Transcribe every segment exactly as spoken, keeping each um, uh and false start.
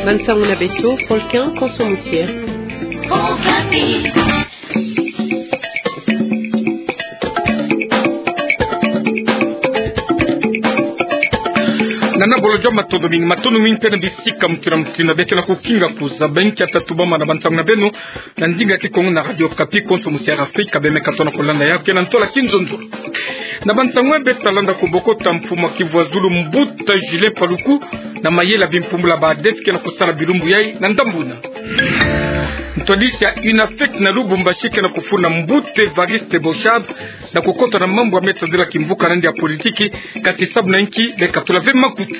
Bansang'o na beto, Volcan Konso Musiere. Nana bolo joma, matondo mingi, matondo mingi mpe na bisika mutindu na mutindu bia kena kukinga kuzaba nkia tatubama na bansang'o na beno na ndinga Kikongo na Radio Okapi. Konso Musiere Afrika bemeka tona kulanda yau kena ntola kinzonzolo. Na bansang'o ya beto talanda kubokota mfumu wa Kivu ya Zulu, mbuta Julien Paluku, na mayele ya bimpumbulu ya ba ADEF kena kusala bilumbu yai na ndambu na ntwadisi ya UNAFEC na Lubumbashi kena kufunda mbuta Evariste Boshab na kukota na mambu ya me tadila kimvuka nandi ya politiki, kasi sabu na inki bekatula ve makutu.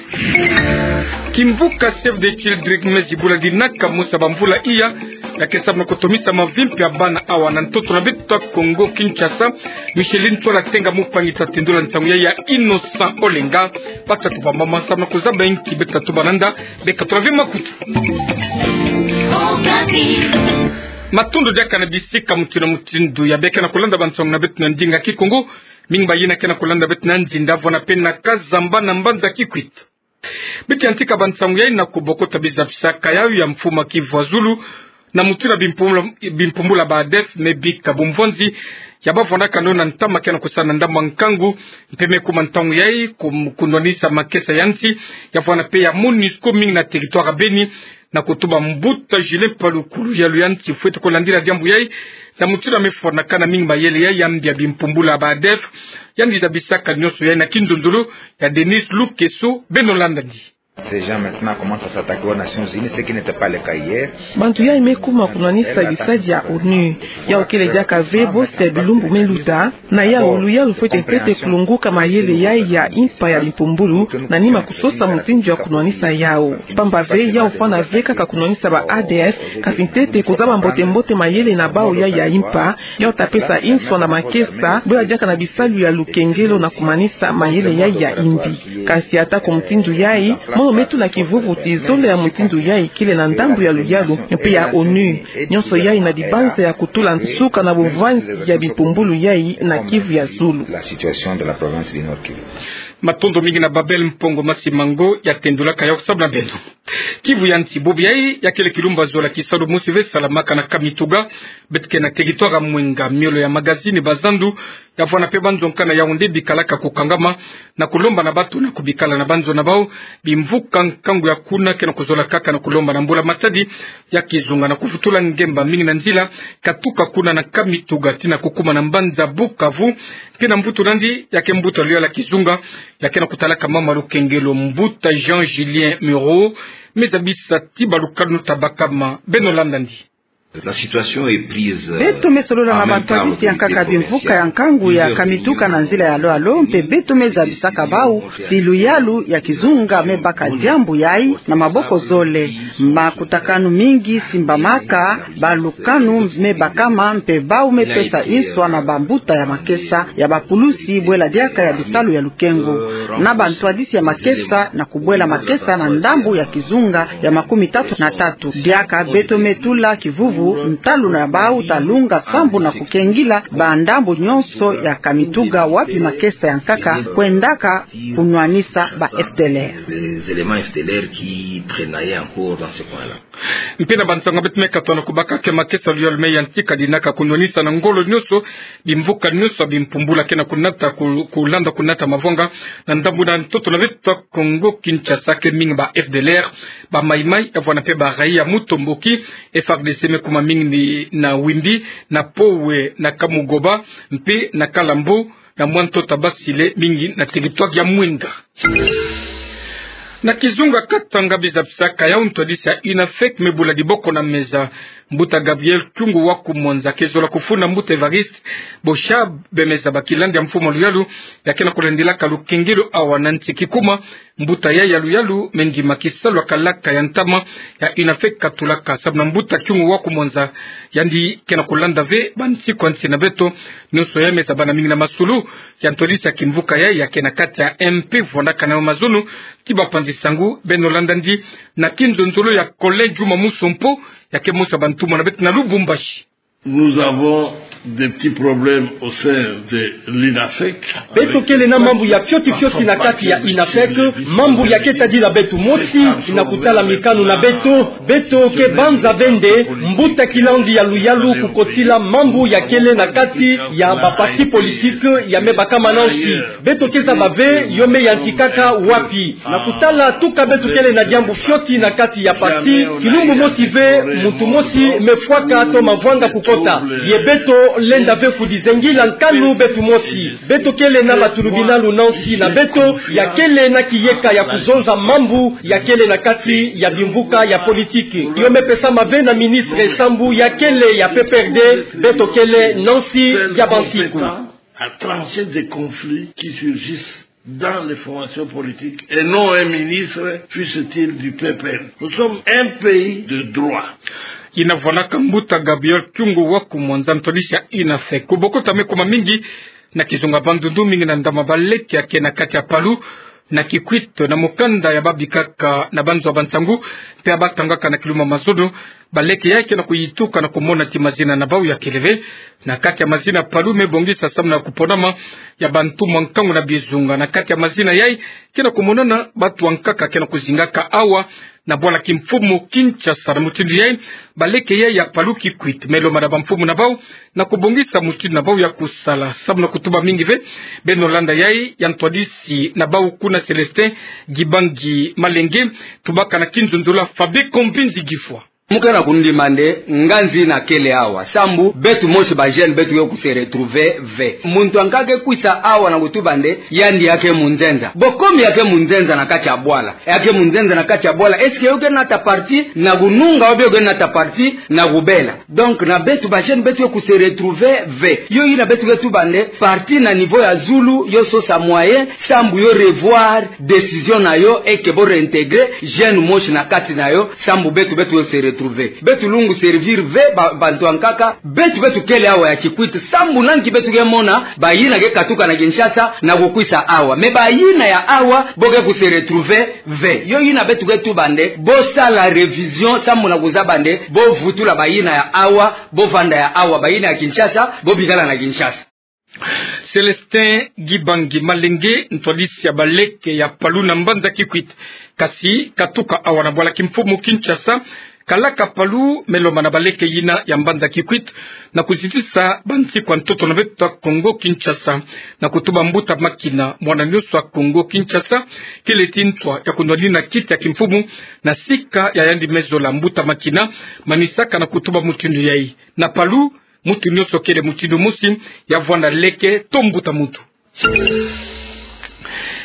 Kimvuka Save the Children me zibula dinaka mosi ya bamvula iya, ya ke sabu na kutomisa mavimpi ya bana awa na ntoto na beto ya Kongo Kinshasa. Micheline Twala Tenga, mupangi, tatendula nsangu yai ya Innocent Olenga. Batatu bamama sabu na kuzaba inki beto tatuba nanda, bekatula ve makutu. Matondo diaka na bisika mutindu na mutindu ya bia kena kulanda bansang'o na beto na ndinga Kikongo. Mingi bayina kena kulanda beto na nzinda vwana mpe na Kazamba na mbanza Kikwit. Beto yantika bansang'o yai na kubokota bizabisaka yau ya mfumu wa Kivu ya Zulu na mutindu bimpumbulu, bimpumbulu ya ba ADEF me bika bumvwanzi ya bavwandaka nao na ntama kena kusala na ndambu ya nkangu, mpe me kuma ntangu yai ku-, kunwanisa makesa ya nsi, ya vwana mpe ya MONUSCO mingi na territoire ya Beni, na kutuba mbuta Julien Paluku luyalu ya nsi fwete kulandila diambu yai, na mutindu ya me fwanakana mingi mayele yai ya mbi ya bimpumbulu ya ba ADEF. Yandi zabisaka nyonso yai na kinzonzolo ya Denis Lukeso. Beno landandi. Ces gens maintenant commencent à s'attaquer aux Nations Unies, ce qui n'était pas le cas hier. Bantu yai me kuma kunwanisa bisadi ya ONU. Yau kele diaka ve bosi ya bilumbu me luta. Na yau luyalu fwete ntete kulongoka mayele yai ya impa ya bimpumbulu, na nima kusosa mutindu ya kunwanisa yau. Pamba ve yau fwana ve kaka kunwanisa ba ADF, kasi ntete kuzaba mbote-mbote mayele na bau yai ya impa, yau ta pesa inswa na makesa, bwela diaka na bisalu ya lukengelo na kumanisa mayele yai ya imbi. Kasi ata ko mutindu yai, mono me tula kivuvu ti zonza ya mutindu yai kele na ndambu ya luyalu mpe ya ONU. Nyonso yai na dibanza ya kutula nsuka na bumvwanzi ya bimpumbulu yai na Kivu ya Zulu. La situation de la province du Nord Kivu. Matondo mingi na Babel Mpongo Masimango, yatendulaka yau sabu na beno. Kivu ya nsi, bubu yai ya kele kilumbu zola kisalu mosi ve salamaka na Kamituga, beto ke na territoire ya Mwenga, miolo ya magazini, bazandu, ya vwana mpe banzo nkana yau nde bikalaka kukangama na kulomba na bato na kubikala na banzo na bau. Bimvuka nkangu ya kuna ke na kuzolakaka na kulomba na mbula-matadi ya kizunga na kuvutula ngemba mingi na nzila, katuka kuna na Kamituga tii na kukuma na mbanza Bukavu. Mpe na mvutu nandi, ya ke mbuta luyalu ya kizunga ya ke na kutalaka mama lukengelo, mbuta Jean Julien Muro, me zabisa ti balukanu ta bakama. Beno landandi. La situation est prise, euh, beto me solola na bantwadisi ya nkaka bimvuka ya nkangu ya Kamituga na nzila ya alo-alo, mpe beto me zabisaka bau ti luyalu ya kizunga me baka diambu yai na maboko zole. Makutakanu mingi simbamaka, balukanu me bakama, mpe bau me pesa inswa na bambuta ya makesa ya bapulusi, bwela diaka ya bisalu ya lukengo, na bantwadisi ya makesa, na kubwela makesa na ndambu ya kizunga ya makumi tatu na tatu. Diaka beto me tula kivuvu, ntalu na bau ta lunga sambu na kukengila bandambu nyonso ya Kamituga wapi makesa ya nkaka kwendaka kunwanisa ba F D L R. Les éléments F D L R qui traînaient encore dans ce coin-là. Mpe na bansangu beto me katono kubaka ke makesa luyalu me yantika dinaka kunwanisa na ngolo nyonso bimvuka nyonso bimpumbulu ke na kunata ku-, kulanda kunata mavwanga na ndambu na ntoto na beto Kongo Kinshasa, ke mingi ba F D L R, ba Mai-Mai, ya vwana mpe ba raï ya Mutomboki. F A R D C me kuma mingi ni na Wimbi, na Powe, na Kamugoba, mpe na Kalambo, na mwa ntoto Basile, mingi na territoire ya Mwenga. Na kizunga Katanga, biza bisaka yau ntwadisi ya UNAFEC me bula diboko na meza. Mbuta Gabriel Kyungu wa Kumwanza ke zola kufunda mbuta Evariste Boshab bemeza ba kilandi ya mfumu luyalu ya ke na kulandilaka lukengelo awa na nsi kikuma. Mbuta yai ya luyalu me ndima kisalu ya kalaka ya ntama ya UNAFEC katulaka sabu na mbuta Kyungu wa Kumwanza, yandi ke na kulanda ve bansi kwa nsi na beto. Nyonso yai me zabana mingi na masolo ya ntwadisi ya kimvuka yai ya ke na kati ya M P vwandaka na yo mazono ti bapanzi sangu. Beno landandi na kinzonzolo ya Colin Juma Musompo, ya ke mosi ya bantumwa na beto na Lubumbashi. Nous avons des petits problèmes au sein de l'INAFEC. Beto kele na mambu ya fioti fioti na kati ya INAFEC, mambu ya keta dila beto mosi, na kutala mikanu na beto, beto ke banza ve nde, mbuta kilandi ya luyalu kukotila mambu ya kele na kati ya ba parti politique ya me bakama nansi. Beto ke zaba ve, yo me yantikaka wapi. Na kutala tuka beto kele na diambu fioti na kati ya parti, kilumbu mosi ve, muntu mosi me fwaka to mavwanga kukota. Ye beto lenda ve kudizengila nkanu beto mosi. Beto kele na ba tulubinalu nansi na beto, ya kele na kiyeka ya kuzonza mambu ya kele na kati ya bimvuka ya politique. Yo me pesama ve na ministre sambu ya kele ya P P R D, beto kele nansi ya bansiku. À trancher des conflits qui surgissent dans les formations politiques et non un ministre, fût-il du P P R. Nous sommes un pays de droit. Yina vwanaka mbuta Gabriel Kyungu wa ku Mwanza, ntwadisi ya INAFEC. Kubokota me kuma mingi na kizunga bandundu mingi na ndama baleke ya ke na kati ya Palu, na Kikwit, na mukanda ya babikaka na banzo ya bansangu, mpe ya batangaka na kilumbu ya mazono. Baleke yai ke na kuyituka na kumona ti mazina na bau ya kele ve na kati ya mazina Palu me bongisa samu na kuponama ya bantumwa nkangu na bizunga. Na kati ya mazina yai ke na kumonana bantu ankaka ke na kuzingaka awa na bwala kimfumu Kinshasa. Na mutindu yai, baleke yai ya Palu, Kikwit me lomba na bamfumu na bau na kubongisa mutindu na bau ya kusala samu na kutuba mingi ve. Beno landa yai ya ntwadisi na bau kuna, Célestin Gibangi Malenge, tubaka na kinzonzolo ya Fabien Kombinzi Gifwa. Mu ke na kundima nde nganzi na kele awa, sambu beto mosi ba jeunes beto ke ku se retrouver ve. Muntu ankaka ke kwisa awa na kutuba nde yandi ya ke munzenza. Bo komi ya ke munzenza na kati ya bwala? Ya ke munzenza na kati ya bwala, est-ce que yo ke nata parti na kununga, ou bien yo ke nata parti na kubela? Donc na beto ba jeunes beto ke ku se retrouver ve. Yo yina beto ke tuba nde parti na niveau ya zulu yo sosa moyen sambu yo revoir décision na yo, et que bo réintégrer jeune mosi na kati na yo, sambu beto, beto se retrouver. Beto lungu servir ve ba, bantu ankaka, beto, beto kele awa ya Kikwit, sambu na nki beto ke mona bayina ke katuka na Kinshasa na kukwisa awa. Mais bayina ya awa, bo ke ku se retrouver ve. Yo yina beto ke tuba nde bo sala révision, sambu na kuzaba nde bo vutula bayina ya awa, bo vanda ya awa, bayina ya Kinshasa, bo bikala na Kinshasa. Célestin Gibangi Malenge, ntwadisi ya baleke ya Palu na mbanza Kikwit, kasi katuka awa na bwala kimfumu Kinshasa, kalaka Palu, me lomba na baleke yina ya mbanza Kikwit na kuzitisa bansiku ya ntoto na beto ya Kongo Kinshasa, na kutuba mbuta Makina, mwana nyonso ya Kongo Kinshasa kele ti ntwa ya kunwanina kiti ya kimfumu na sika ya yandi me zola. Mbuta Makina manisaka na kutuba mutindu yai. Na Palu, muntu nyonso kele mutindu mosi, ya vwanda leke to mbuta muntu.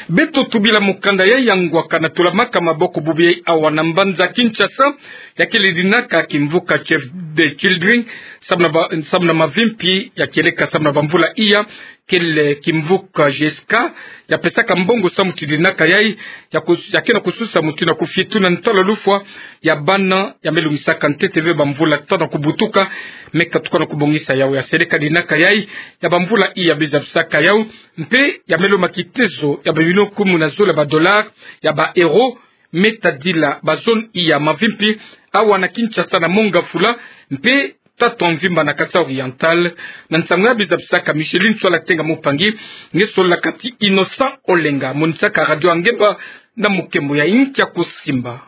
Beto tubila mukanda yai ya ngwaka na tulamaka maboko bubu yai awa na mbanza Kinshasa, ya kele dinaka kimvuka Save the Children, samu na ba, samu na mavimpi ya kieleka samu na bamvula iya, kele kimvuka G S K, ya pesaka mbongo samu ti dinaka yai, ya kus-, ya ke na kususa mutindu ya kufitu na ntalu ya lufwa ya bana ya me lungisaka ntete ve bamvula tanu ya kubutuka, me katuka na kubongisa yau ya seleka dinaka yai ya bamvula iya, bizabisaka yau, mpe ya me lomba kitezo ya bamilio kumi na zole ba dollars, ya ba euros, me tadila ba zone iya mavimpi awa na Kinshasa na Mont-Ngafula, mpe tatu ya mvimba na Kasaï Oriental. Na nsangu ya bizabisaka Micheline Nswala Tenga Mupangi, nge solaka ti Innocent Olenga, monisaka Radio Angemba na mukembo ya inki ya kusimba.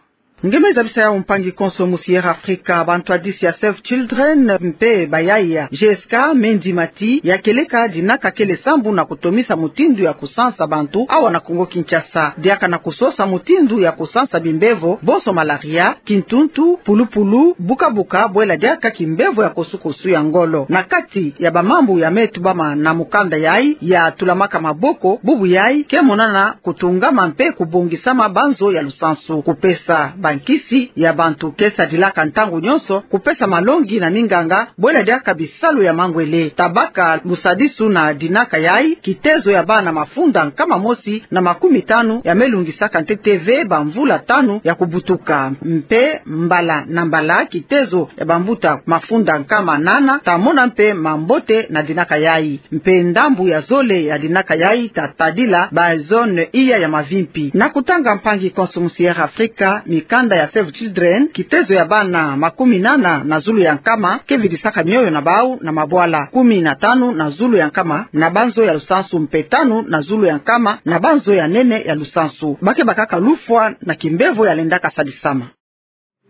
Nge me zabisa yau, mpangi konso musi Air Africa. Bantwadisi ya Save Children mpe bayaya G S K me ndima ti ya kieleka dinaka kele sambu na kutomisa mutindu ya kusansa bantu awa na Kongo Kinshasa. Diaka na kusosa mutindu ya kusansa bimbevo, bonso malaria, kintuntu, pulupulu, bukabuka, bwela diaka kimbevo ya kosukosu ya ngolo. Na kati ya bamambu ya me tubama na mukanda yai ya tulamaka maboko bubu yai, ke monana kutungama mpe kubongisama banzo ya lusansu, kupesa bankisi ya bantu ke sadilaka ntangu nyonso, kupesa malongi na minganga, bwela diaka bisalu ya mangwele. Tabaka lusadisu na dinaka yai, kitezo ya bana mafunda nkama mosi na makumi tanu ya me lungisaka ntete ve bamvula tanu ya kubutuka. Mpe mbala na mbala kitezo ya bambuta mafunda nkama nana ta mona mpe mambote na dinaka yai. Mpe ndambu ya zole ya dinaka yai ta tadila ba zone iya ya mavimpi. Na kutanga, mpangi konso musi Air Africa, mika Kanda ya Save Children, kitezo ya bana makumi nana na zulu ya nkama ke vidisaka mioyo na bau na mabwala, kumi na tanu na zulu ya nkama na banzo ya lusansu mpe tanu na zulu ya nkama na banzo ya nene ya lusansu. Ba ke bakaka lufwa na kimbevo ya lendaka sadisama.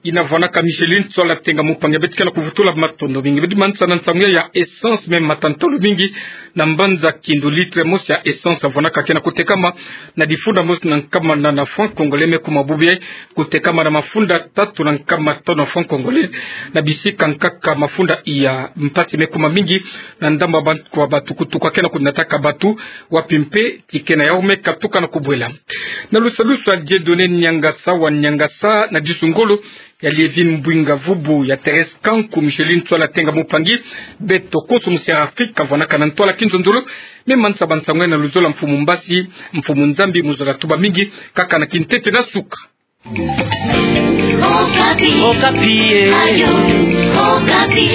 Ina vwanaka Micheline Tswala Tenga Mupangi. Beto ke na kuvutula matondo mingi. Bidi mansa na nsangu ya essence, me matantolo mingi na mbanza kindu litre mosi ya essence avwanaka ke na kutekama na difunda mosi na nkama nana franc congolais, me kuma bubu kutekama na mafunda tatu na nkama tanu franc congolais. Na bisika nkaka mafunda iya mpasi me kuma mingi na ndambu ya batu, kwa batu kutuka ke na kunataka batu, wapi mpe ti ke na yau me katuka na kubwela. Na lusalusu ya Dieudonné Niangasa wa Niangasa na disu ngolo ya Lievine Mbwinga Vubu, ya Thérèse Kanku, Micheline Tswala Tenga Mupangi, beto konso mu Sierra Afrika vwanaka na ntwala kinzonzolo. Me mansa ba nsangu na luzolo ya Mfumu Mbasi, Mfumu Nzambi mu zola tuba mingi, kaka na kintete na suka. Okapi. Okapi, eh. Radio Okapi.